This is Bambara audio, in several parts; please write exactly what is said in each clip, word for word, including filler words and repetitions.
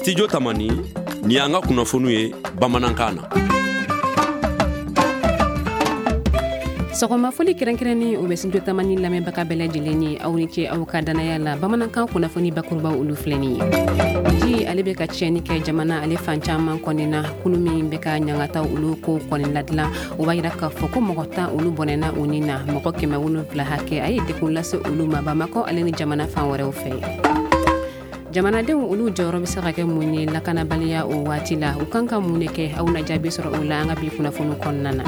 Studio Tamani, ni y'an ka kunnafoniw ye bamanankan na. Sɔgɔmafoli kɛrɛnkɛrɛnnen o bɛ Studio Tamani lamɛnbaga bɛɛ lajɛlen ye, aw ni ce aw ka danaya la. Bamanankan kunnafoni bakurubaw olu filɛ nin ye. Ji ale bɛ ka tiɲɛni kɛ jamana ale fan caman kɔni na. Kulu min bɛ ka ɲangataw olu ko kɔni ladilan, o b'a yira k'a fɔ ko mɔgɔ tan olu bɔnɛna u ni na, mɔgɔ kɛmɛ wolonwula hakɛ a ye degun lase olu ma Bamakɔ ale ni jamana fan wɛrɛw fɛ. Jamanadenw olu jɔyɔrɔ bɛ se ka kɛ mun ye lakanabaliya o waati la? U kan ka mun de kɛ? Aw na jaabi sɔrɔ o la an ka bi kunnafoni kɔnɔna na.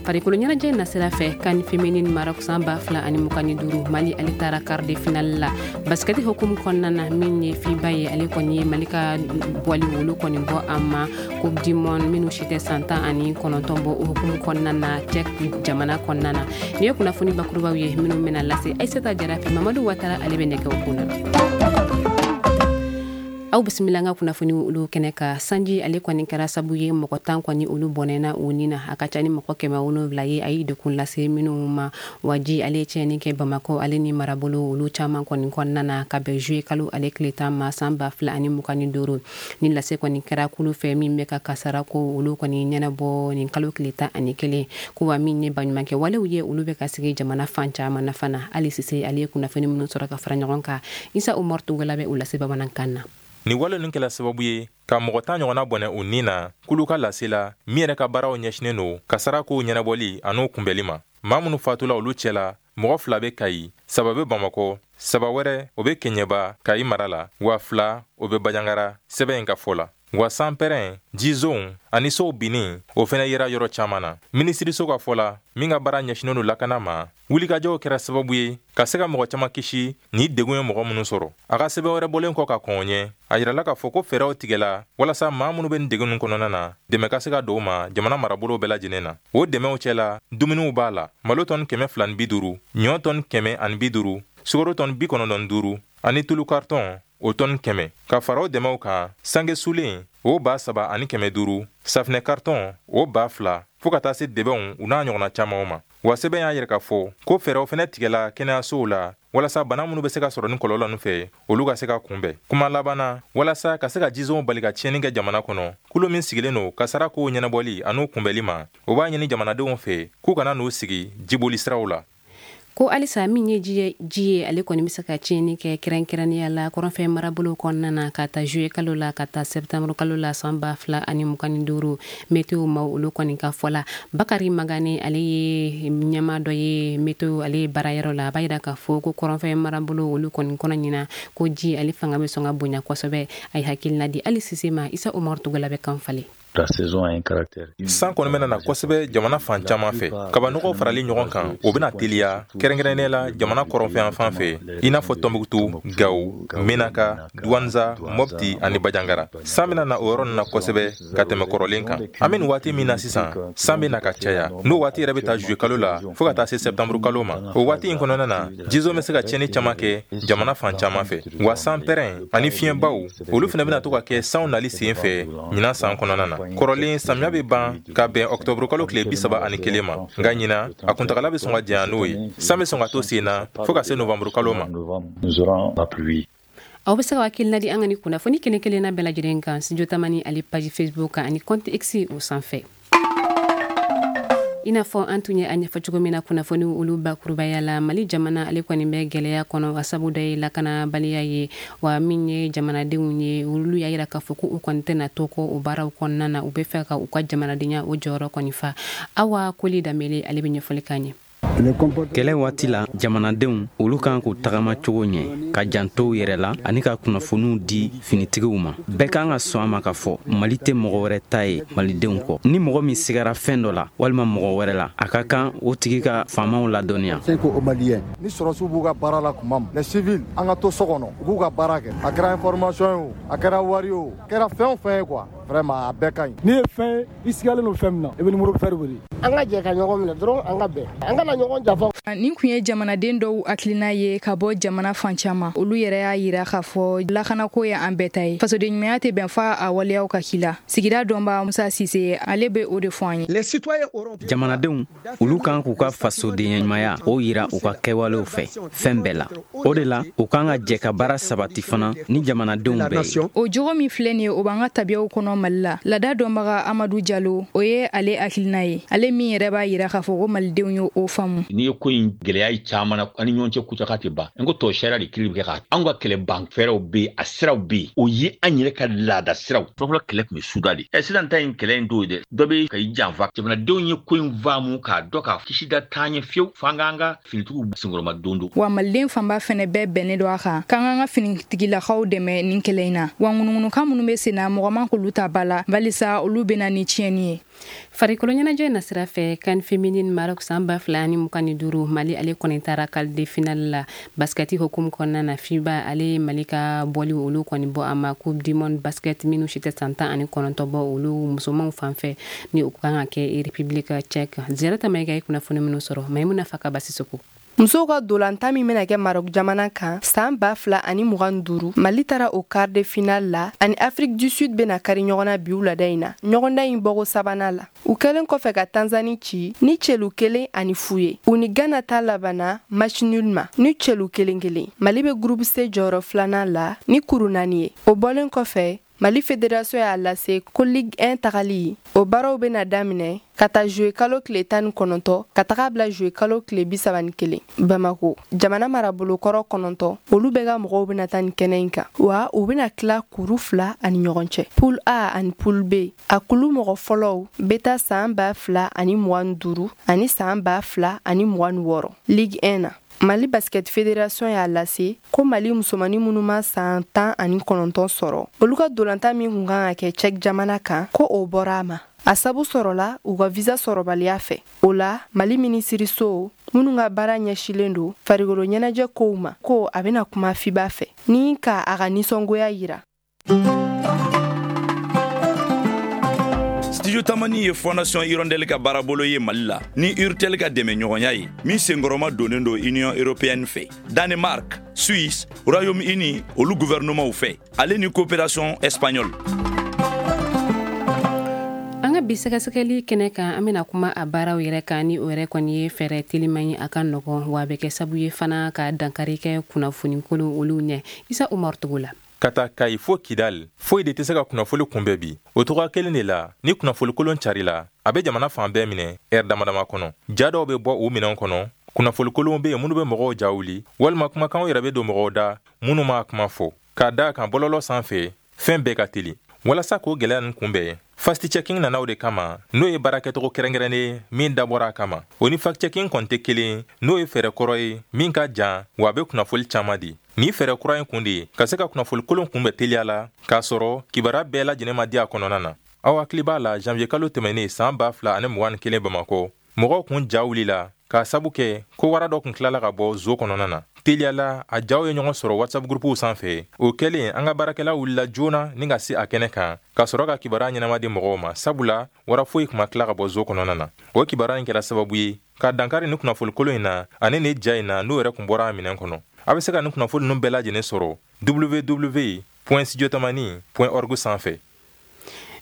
Farikolo ɲɛnajɛ nasira fɛ, CAN féminine Maroc san ba fila ani mugan ni duuru, Mali ale taara quart de finale la. Basket hukumu kɔnɔna na, min ye FIBA ye, ale kɔni ye Mali ka bɔli olu kɔni bɔ a ma Coupe du monde minnu si tɛ san tan ani kɔnɔntɔn bɔ o hukumu kɔnɔna na Tchèque jamana kɔnɔna na. Nin ye kunnafoni bakurubaw ye minnu bɛna lase Aïssata Jara fɛ. Mamadu Watara ale bɛ nɛgɛw kunna. Aw bisimila an ka kunnafoni olu kɛnɛ kan. Sanji ale kɔni kɛra sabu ye mɔgɔ tan kɔni olu bɔnɛna u ni na, a ka ca ni mɔgɔ kɛmɛ wolonwula ye a ye degun lase minnu ma. Wa ji ale ye tiɲɛni kɛ Bamakɔ ale ni marabolo olu caman kɔni kɔnɔna na ka bɛn juillet kalo ale tile tan ma san ba fila ani mugan ni duuru. Ni lase kɔni kɛra kulu fɛ min bɛ ka kasara ko olu kɔni ɲɛnabɔ nin kalo tile tan ani kelen, ko wa min ye baɲumankɛ walew ye olu bɛ ka sigi jamana fan caman na fana. Ali Sise ale ye kunnafoni minnu sɔrɔ ka fara ɲɔgɔn kan, Isa Umar Tugala bɛ o lase bamanankan na. Nin wale ninnu kɛla sababu ye ka mɔgɔ tan ɲɔgɔnna bɔnɛ u ni na kulu ka lase la, min yɛrɛ ka baaraw ɲɛsinnen don kasara kow ɲɛnabɔli an'o kunbɛli ma. Maa minnu fatula olu cɛ la, mɔgɔ fila bɛ Kayi, saba bɛ Bamakɔ, saba wɛrɛ o bɛ Keɲɛba Kayi mara la, wa fila o bɛ Banjagara, sɛbɛn in ka fɔ la. Wa sanpɛrɛn, jizonw ani sow binni o fɛnɛ yera yɔrɔ caman na. Minisiriso ka fɔ la, min ka baara ɲɛsinnen don lakana ma, wulikajɔw kɛra sababu ye ka se ka mɔgɔ caman kisi ni degun ye mɔgɔ minnu sɔrɔ. A ka sɛbɛn wɛrɛ bɔlen kɔ ka kɔn o ɲɛ, a yirala k'a fɔ ko fɛɛrɛw tigɛla walasa maa minnu bɛ nin degun ninnu kɔnɔna na, dɛmɛ ka se ka don u ma jamana marabolo bɛɛ lajɛlen na. O dɛmɛw cɛ la, dumuniw b'a la, malo tɔni kɛmɛ fila ni bi duuru, ɲɔ tɔni kɛmɛ ani bi duuru, sukaro tɔni bi kɔnɔntɔn ni duuru, ani tulu karitɔn o tɔni kɛmɛ. Ka fara o dɛmɛw kan, sange sulen o ba saba ani kɛmɛ duuru, safinɛ karitɔn o ba fila, fo ka taa se dɛbɛnw u n'a ɲɔgɔnna camanw ma. Wa sɛbɛn y'a yira k'a fɔ ko fɛɛrɛw fɛnɛ tigɛla kɛnɛyasow la walasa bana minnu bɛ se ka sɔrɔ ni kɔlɔlɔ ninnu fɛ, olu ka se ka kunbɛn. Kuma laban na, walasa ka se ka jizonw bali ka tiɲɛni kɛ jamana kɔnɔ, kulu min sigilen don kasara kow ɲɛnabɔli an'u kunbɛli ma, o b'a ɲini jamanadenw fɛ k'u kana n'u sigi jiboli siraw la. Ko halisa min ye ji ye ale kɔni bɛ se ka tiɲɛni kɛ kɛrɛnkɛrɛnnenya la kɔrɔnfɛ marabolo kɔnɔna na ka taa juillet kalo la ka taa septembre kalo la san ba fila ani mugan ni duuru, météo maaw olu kɔni ka fɔ la. Bakari Magane ale ye ɲɛmaa dɔ ye météo ale ye baarayɔrɔ la, a b'a yira k'a fɔ ko kɔrɔnfɛ marabolo olu kɔni kɔnɔ ɲina ko ji ale fanga bɛ sɔn ka bonya kosɛbɛ. A ye hakilina di Ali Sise ma, Isa Umar Tugala bɛ kan falen. San kɔni bɛna na kosɛbɛ jamana fan caman fɛ. Kabanɔgɔw farali ɲɔgɔn kan, o bɛna teliya kɛrɛnkɛrɛnnenya la jamana kɔrɔnfɛ fan fɛ, i n'a fɔ Tɔnbukutu, Gawo, Menaka, Duwanza, Mopti ani Banjagara. San bɛna na o yɔrɔ ninnu na kosɛbɛ ka tɛmɛ kɔrɔlen kan. An bɛ nin waati min na sisan, san bɛ na ka caya. N'o waati yɛrɛ bɛ taa juillet kalo la fo ka taa se septembre kalo ma. O waati in kɔnɔna na, jizon bɛ se ka tiɲɛni caman kɛ jamana fan caman fɛ. Wa sanpɛrɛn ani fiɲɛbaw, olu fana bɛna to ka kɛ sanw nali sen fɛ ɲinan san kɔnɔna na. Kɔrɔlen samiya bɛ ban ka bɛn ɔkutɔburu kalo tile bi saba ani kelen ma, nka ɲinan a kuntagala bɛ sɔn ka janya n'o ye. San bɛ sɔn ka to sen na fo ka se novanburu kalo ma. Aw bɛ se ka hakilina di an ka ni kunnafoni kelen kelenna bɛɛ lajɛlen kan Studio Tamani ale page Facebook kan ani compte X o sanfɛ. I n'a fɔ an tun ye a ɲɛfɔ cogo min na kunnafoni olu bakurubaya la, Mali jamana ale kɔni bɛ gɛlɛya kɔnɔ, a sabu dɔ ye lakanabaliya ye. Wa min ye jamanadenw ye, olu y'a yira k'a fɔ ko u kɔni tɛna to kɔ o baaraw kɔnɔna na, u bɛ fɛ ka u ka jamanadenya o jɔyɔrɔ kɔni fa. Awa Koli Danbele ale bɛ ɲɛfɔli k'an ye. Kɛlɛ waati la, jamanadenw olu kan k'u tagama cogo ɲɛ, ka janto u yɛrɛ la ani ka kunnafoniw di finitigiw ma. Bɛɛ kan ka sɔn a ma k'a fɔ Mali tɛ mɔgɔ wɛrɛ ta ye malidenw kɔ. Ni mɔgɔ min sigara fɛn dɔ la walima mɔgɔ wɛrɛ la, a ka kan o tigi ka faamaw ladɔnniya. Ni sɔrɔsiw b'u ka baara la tuma min, les civils an ka to so kɔnɔ, u k'u ka baara kɛ. A kɛra information ye o, a kɛra wari ye o, a kɛra fɛn o fɛn ye quoi, vraiment a bɛɛ ka ɲi. N'i ye fɛn i sigalen don fɛn min na, i bɛ numéro vert wele. An ka jɛ ka ɲɔgɔn minɛ dɔrɔn, an ka bɛn. An kana ɲɔgɔn janfa. Nin kun ye jamanaden dɔw hakilina ye ka bɔ jamana fan caman. Olu yɛrɛ y'a yira k'a fɔ lakanako ye an bɛɛ ta ye. Fasoden ɲumanya tɛ bɛn f'a a waleyaw ka k'i la. Sigida dɔnba Musa Sise, ale bɛ o de fɔ an ye. Jamanadenw, olu kan k'u ka fasoden ɲumanya o yira u ka kɛwalew fɛ fɛn bɛɛ la. O de la, u kan ka jɛ ka baara sabati fana ni jamanadenw bɛɛ ye. O jogo min filɛ nin ye, o b'an ka tabiyaw kɔnɔ Mali la. Laada dɔnbaga Amadu Jalo, o ye ale hakilina ye. Ale min yɛrɛ b'a yira k'a fɔ ko malidenw ye o faamu. N'i ye ko in gɛlɛya ye caman na, an ni ɲɔgɔn cɛ kucaka tɛ ban. N ko tɔ sariya de kiiri bɛ kɛ ka anw ka kɛlɛ ban fɛɛrɛw bɛ yen, a siraw bɛ yen. O ye an yɛrɛ ka laada siraw. Fɔlɔfɔlɔ kɛlɛ tun bɛ suda de. Ɛ sisan ta in kɛlɛ in t'o ye dɛ. Dɔ bɛ ka i janfa. Jamanadenw ye ko in faamu k'a dɔn k'a kisi da taa ɲɛ fiyewu f'an k'an ka finitigiw senkɔrɔma don don. Wa maliden fanba fɛnɛ bɛɛ bɛnnen don a kan k'an k'an ka finitigilakaw dɛmɛ nin kɛlɛ in na. Wa ŋunuŋunukan minnu bɛ sen na, mɔgɔ man k'olu ta ba la, balisa olu bɛ na ni tiɲɛni ye. Farikolo ɲɛnajɛ nasira fɛ, CAN féminine Maroc san ba fila ani mugan ni duuru, Mali ale kɔni taara quart de finale la basketi hukumu kɔnɔna na. FIBA ale ye Mali ka bɔli olu kɔni bɔ a ma Coupe du monde basket minnu si tɛ san tan ani kɔnɔntɔn bɔ olu musomanw fan fɛ, ni u kan ka kɛ République tchèque. Ziyarata Mayiga ye kunnafoni minnu sɔrɔ, Mayimuna Fakaba Sisoko. Musow ka dolantan min bɛna kɛ Maroc jamana kan san ba fila ani mugan duuru, Mali taara o quart de finale la ani Afrique du Sud bɛna kari ɲɔgɔn na bi wulada in na ɲɔgɔndan in bɔko sabanan la. U kɛlen kɔfɛ ka Tanzanie ci ni celu kelen ani fu ye, u ni Ghana ta labanna match nul ma ni celu kelen kelen. Mali bɛ groupe C jɔyɔrɔ filanan la ni kuru naani ye. O bɔlen kɔfɛ, Mali Fédération y'a lase ko Ligue un tagali o baaraw bɛna daminɛ ka taa juillet kalo tile tan ni kɔnɔntɔn ka taga bila juillet kalo tile bi saba ni kelen. Bamako jamana marabolokɔrɔ kɔnɔntɔn, olu bɛɛ ka mɔgɔw bɛna taa nin kɛnɛ in kan, wa u bɛna tila kuru fila ani ɲɔgɔn cɛ, poule A ani poule B. A kulu mɔgɔ fɔlɔw bɛ taa san ba fila ani mugan ni duuru ani san ba fila ani mugan ni wɔɔrɔ Ligue un na. Mali Basket Fédération y'a lase ko Mali musomannin minnu ma san tan ani kɔnɔntɔn sɔrɔ, olu ka dolantan min kun kan ka kɛ Tchèque jamana kan, ko o bɔra a ma. A sabu sɔrɔla u ka visa sɔrɔbaliya fɛ. O la, Mali minisiriso minnu ka baara ɲɛsilen don farikolo ɲɛnajɛ kow ma, ko a bɛna kuma FIBA fɛ ni ka a ka nisɔngoya yira. Studio Tamani ye Fondation Hirondelle ka baarabolo ye Mali la ni Urtel ka dɛmɛ ɲɔgɔnya ye min senkɔrɔma donnen don Union européenne fɛ, Danemark, Suisse, Royaume-Uni olu gouvernementw fɛ, ale ni coopération espagnole. An ka bi sɛgɛsɛgɛli kɛnɛ kan, an bɛna kuma a baaraw yɛrɛ kan, ni o yɛrɛ kɔni ye fɛɛrɛ teliman ye, a ka nɔgɔn, wa a bɛ kɛ sababu ye fana ka dankari kɛ kunnafoni kolon olu ɲɛ. Isa Umar Togo la. Ka taa Kayi fo Kidal, foyi de tɛ se ka kunnafoni kunbɛn bi. O cogoya kelen de la, ni kunnafoni kolon carila, a bɛ jamana fan bɛɛ minɛ ɛri dama dama kɔnɔ. Ja dɔw bɛ bɔ u minɛnw kɔnɔ, kunnafoni kolonw bɛ yen minnu bɛ mɔgɔw ja wuli, walima kumakanw yɛrɛ bɛ don mɔgɔw da minnu m'a kuma fɔ. K'a da kan bɔlɔlɔ sanfɛ, fɛn bɛɛ ka teli. Walasa k'o gɛlɛya ninnu kunbɛn, fact checking nana o de kama, n'o ye baarakɛcogo kɛrɛnkɛrɛnnen ye min dabɔra a kama. O ni fact checking kɔni tɛ kelen, n'o ye fɛɛrɛ kɔrɔ ye min ka jan, wa a bɛ kunnafoni caman di. Nin fɛɛrɛ kura in kun de ye ka se ka kunnafoni kolon kunbɛn teliya la, k'a sɔrɔ kibaruya bɛɛ lajɛlen ma di a kɔnɔna na. Aw hakili b'a la, janvier kalo tɛmɛnen san ba fila ani mugan ni kelen, Bamakɔ, mɔgɔw kun ja wulila k'a sabu kɛ ko wara dɔ kun tilala ka bɔ zoo kɔnɔna na. Teliyala, a jaw ye ɲɔgɔn sɔrɔ WhatsApp groupew sanfɛ. O kɛlen, an ka baarakɛla wulila joona ni ka se a kɛnɛ kan ka sɔrɔ ka kibaruya ɲɛnama di mɔgɔw ma, sabula wara foyi kun ma tila ka bɔ zoo kɔnɔna na. O kibaruya in kɛra sababu ye ka dankari ni kunnafoni kolon in na ani ni ja in na n'o yɛrɛ kun bɔra a minɛn kɔnɔ. A bɛ se ka nin kunnafoni ninnu bɛɛ lajɛlen sɔrɔ w w w point studiotamani point org sanfɛ.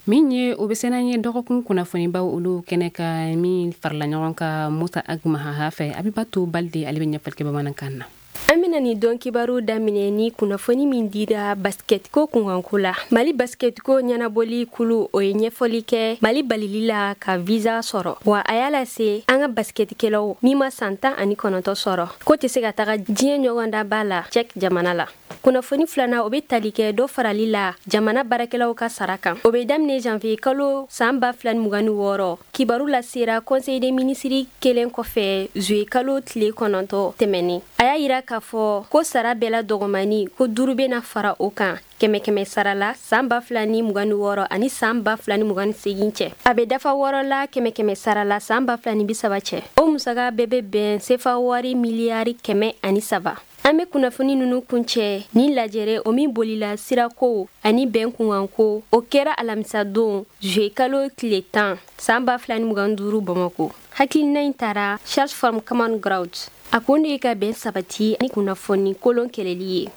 Min ye o bɛ se n'an ye dɔgɔkun kunnafonibaw olu kɛnɛ ka min farala ɲɔgɔn kan Musa Ag Mahaha fɛ, Abibatu Balde ale bɛ ɲɛfɔli kɛ bamanankan na. An bena nin dɔn kibaru daminɛ ni kunnafoni min dira basket ko kunkanko la. Mali basket ko ɲɛnabɔli kulu, o ye ɲɛfɔli kɛ Mali balili la ka visa sɔrɔ, wa a y'a lase an ka basketikɛlaw min ma san tan ani kɔnɔntɔ sɔrɔ ko tɛ se ka taga diɲɛ ɲɔgɔndaba la Tchèque jamana la. Kunnafoni filanan, o be tali kɛ dɔ farali la jamana baarakɛlaw ka sara kan, o be daminɛ janvier kalo saan ba fila ni mugan ni wɔɔrɔ. Kibaru lasera conseil des ministres kelen kɔfɛ juillet kalo tile kɔnɔntɔ tɛmɛnen. A y'a yira k'a fɔ ko sara bɛɛ la dɔgɔmani ko duuru bena fara o kan kɛmɛ kɛmɛ sara la saan ba fila ni mugan ni wɔɔrɔ ani saan ba fila ni mugan ni segin cɛ. A bɛ dafa wɔɔrɔ la kɛmɛ kɛmɛ sara la saan ba fila ni bi saba cɛ. O musaga bɛɛ bɛ bɛn sefa wari miliyari kɛmɛ ani saba. An bɛ kunnafoni ninnu kuncɛ ni lajɛrɛ o min bolila sirako ani bɛn kunkanko, o kɛra alamisadon juillet kalo tile tan san ba fila ni mugan duuru Bamakɔ. Hakilina in taara Charge from Common Ground. A kun de ye ka bɛn sabati ni kunnafoni kolon kɛlɛli ye.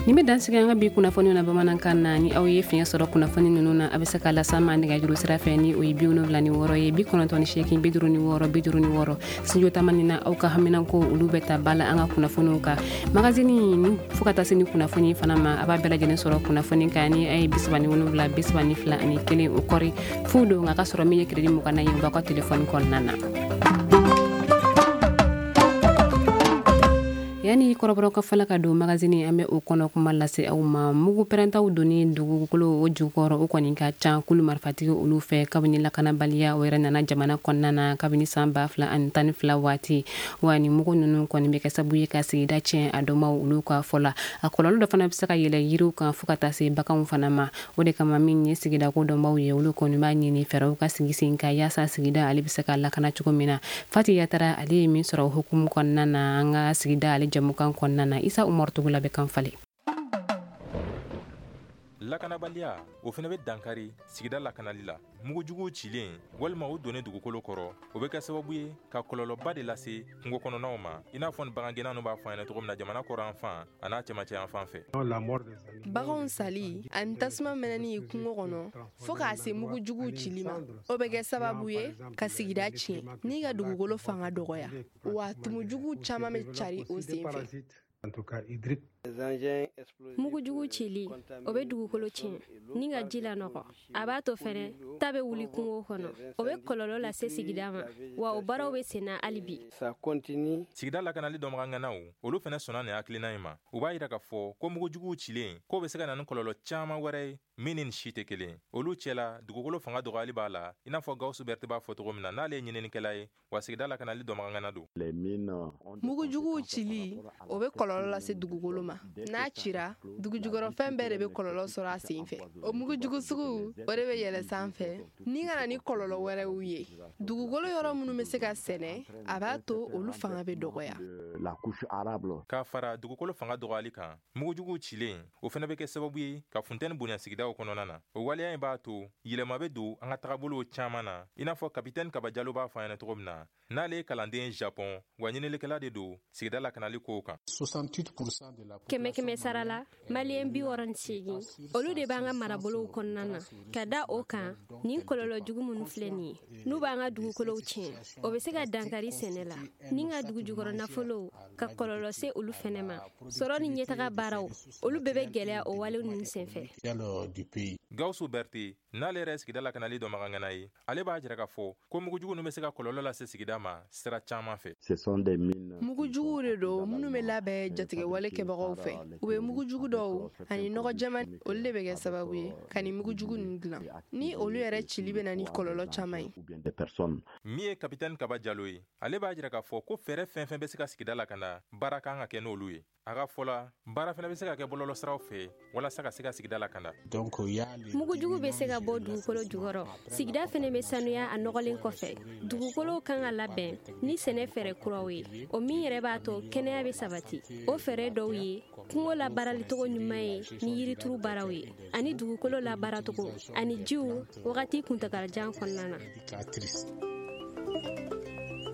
Nin bɛ dansigi an ka bi kunnafoni na bamanankan na. Ni aw ye fiɲɛ sɔrɔ kunnafoni ninnu na, a bɛ se ka las'an ma nɛgɛjuru sira fɛ ni o ye bi wolonwula ni wɔɔrɔ ye, bi kɔnɔntɔn ni seegin, bi duuru ni wɔɔrɔ, bi duuru ni wɔɔrɔ. Studio Tamani na, aw ka haminanko olu bɛ ta ba la an ka kunnafoniw kan. Magazine ni fo ka taa se ni kunnafoni fana ma, a b'a bɛɛ lajɛlen sɔrɔ kunnafoni kan ni a ye bi saba ni wolonwula, bi saba ni fila ani kelen o kɔri fu don, nka ka sɔrɔ min ye crédit mugan na ye, u b'aw ka telefɔni kɔnɔna na. Yani kɔrɔbɔrɔ ka fala ka don magazine, an bɛ o kɔnɔ kuma lase aw ma. Mugu pɛrɛntaw donni dugukolo o jukɔrɔ, o kɔni ka ca kulu marifatigi olu fɛ kabini lakanabaliya o yɛrɛ nana jamana kɔnɔna na kabini san ba fila ani tan ni fila waati. Wa ni mugu ninnu kɔni bɛ kɛ sababu ye ka sigida tiɲɛ a dɔnbaw olu ka fɔ la. A kɔlɔlɔ dɔ fana bɛ se ka yɛlɛ yiriw kan fo ka taa se baganw fana ma. O de kama min ye sigidako dɔnbaw ye, olu kɔni b'a ɲini fɛɛrɛw ka sigi sen kan yaasa sigida ale bɛ se ka lakana cogo min na. Fati Yatara ale ye min sɔrɔ hukumu kɔnɔna na an ka sigida ale jamukan kɔnɔna na. Isa Umaru Tugula bɛ kan falen. Lakanabaliya o fana bɛ dankari sigida lakanali la. Mugujuguw cilen walima u donnen dugukolo kɔrɔ, o bɛ kɛ sababu ye ka kɔlɔlɔba de lase kungo kɔnɔnaw ma, i n'a fɔ ni bagangɛnna ninnu b'a fɔ an ɲɛna cogo min na jamana kɔrɔ fan a n'a cɛmancɛ yan fan fɛ. Baganw sali ani tasuma mɛnɛni kungo kɔnɔ fo k'a se mugujuguw cili ma, o bɛ kɛ sababu ye ka sigida tiɲɛ ni ka dugukolo fanga dɔgɔya, wa tumujuguw caman bɛ cari o sen fɛ. Mugujugu cili o bɛ dugukolo tiɲɛ ni ka ji lanɔgɔ. A b'a to fɛnɛ ta bɛ wuli kungo kɔnɔ, o bɛ kɔlɔlɔ lase sigida ma, wa o baaraw bɛ senna hali bi. Sigida lakanali dɔnbagaŋanaw olu fɛnɛ sɔnna nin hakilina in ma. U b'a yira k'a fɔ ko mugujuguw cilen k'o bɛ se ka na ni kɔlɔlɔ caman wɛrɛ ye min ni nin si tɛ kelen. Olu cɛla dugukolo fanga dɔgɔyali b'a la, i n'a fɔ Gawusu Berete b'a fɔ cogo min na n'ale ye ɲininikɛla ye, wa sigida lakanali dɔnbagaŋana don. Mugujuguw cili o bɛ kɔlɔlɔ lase dugukolo ma. N'a cira, dugujukɔrɔfɛn bɛɛ de bɛ kɔlɔlɔ sɔrɔ a sen fɛ. O mugujugu sugu o de bɛ yɛlɛ sanfɛ ni ka na ni kɔlɔlɔ wɛrɛw ye. Dugukolo yɔrɔ minnu bɛ se ka sɛnɛ, a b'a to olu fanga bɛ dɔgɔya. K'a fara dugukolo fanga dɔgɔyali kan, mugujuguw cilen o fana bɛ kɛ sababu ye ka funteni bonya sigidaw kɔnɔna na. O waleya in b'a to yɛlɛma bɛ don an ka tagabolow caman na, i n'a fɔ kapitɛni Kaba Jalo b'a fɔ an ɲɛna cogo min na n'ale ye kalanden Japon, wa ɲininikɛla de don sigida lakanali kow kan. Kɛmɛ kɛmɛ sara la, maliyɛn bi wɔɔrɔ ni seegin olu de b'an ka marabolow kɔnɔna na. Ka da o kan, nin kɔlɔlɔ jugu minnu filɛ nin ye, n'u b'an ka dugukolow tiɲɛ, o bɛ se ka dankari sɛnɛ la ni ka dugujukɔrɔ nafolow ka kɔlɔlɔ se olu fɛnɛ ma. Sɔrɔ ni ɲɛtaga baaraw olu bɛɛ bɛ gɛlɛya o wale ninnu senfɛ. Gawusu Berete n'ale yɛrɛ sigida lakanali dɔnbagaŋana ye, ale b'a jira k'a fɔ ko mugujugu ninnu bɛ se ka kɔlɔlɔ lase sigida ma sira caman fɛ. Mugujuguw de don minnu bɛ labɛn jatigɛwale kɛbagaw fɛ. U bɛ mugujugu dɔw ani nɔgɔ jɛman, olu de bɛ kɛ sababu ye ka nin mugujugu ninnu dilan, ni olu yɛrɛ cili bɛ na ni kɔlɔlɔ caman ye. Min ye kapitɛni Kaba Jalo ye, ale b'a jira k'a fɔ ko fɛɛrɛ fɛn fɛn bɛ se ka sigida lakana, baara kan ka kɛ n'olu ye. A ka fɔ la, baara fana bɛ se ka kɛ bɔlɔlɔsiraw fɛ walasa ka se ka sigida lakana. Mugujugu bɛ se ka bɔ dugukolo jukɔrɔ. Sigida fɛnɛ bɛ sanuya a nɔgɔlen kɔfɛ. Dugukolow kan ka labɛn ni sɛnɛ fɛɛrɛ kuraw ye, o min yɛrɛ b'a to kɛnɛya bɛ sabati. O fɛɛrɛ dɔw ye kungo labaaralicogo ɲuman ye ni yirituru baaraw ye, ani dugukolo labaaracogo ani jiw wagati kuntagalajan kɔnɔna na.